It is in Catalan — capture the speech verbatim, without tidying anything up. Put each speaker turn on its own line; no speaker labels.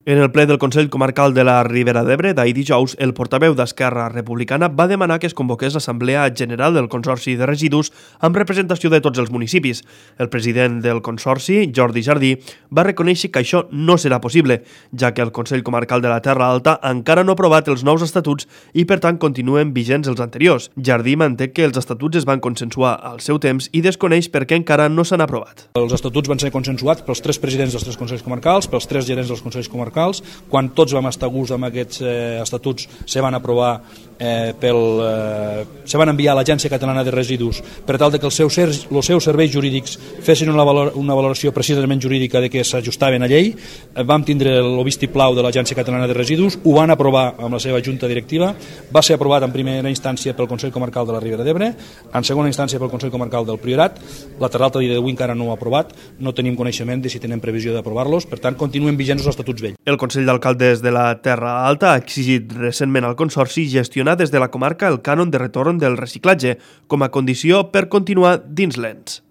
En el ple del Consell Comarcal de la Ribera d'Ebre d'ahir dijous, el portaveu d'Esquerra Republicana va demanar que es convoqués l'Assemblea General del Consorci de Residus amb representació de tots els municipis. El president del Consorci, Jordi Jardí, va reconèixer que això no serà possible, ja que el Consell Comarcal de la Terra Alta encara no ha aprovat els nous estatuts i, per tant, continuen vigents els anteriors. Jardí manté que els estatuts es van consensuar al seu temps i desconeix per què encara no s'han aprovat.
Els estatuts van ser consensuats pels tres presidents dels tres Consells Comarcals, pels tres gerents dels Consells Comarcals. Quan tots vam estar a gust amb aquests eh, estatuts, se van aprovar eh, pel, eh, se van enviar a l'Agència Catalana de Residus per tal de que els seus, els seus serveis jurídics fessin una, valor, una valoració precisament jurídica de que s'ajustaven a llei. Eh, vam tindre el vistiplau de l'Agència Catalana de Residus, ho van aprovar amb la seva junta directiva, va ser aprovat en primera instància pel Consell Comarcal de la Ribera d'Ebre, en segona instància pel Consell Comarcal del Priorat. La Terra Alta a dia d'avui encara no ho ha aprovat, no tenim coneixement de si tenen previsió d'aprovar-los, per tant continuen vigents els estatuts vells.
El Consell d'Alcaldes de la Terra Alta ha exigit recentment al Consorci gestionar des de la comarca el cànon de retorn del reciclatge com a condició per continuar dins l'ens.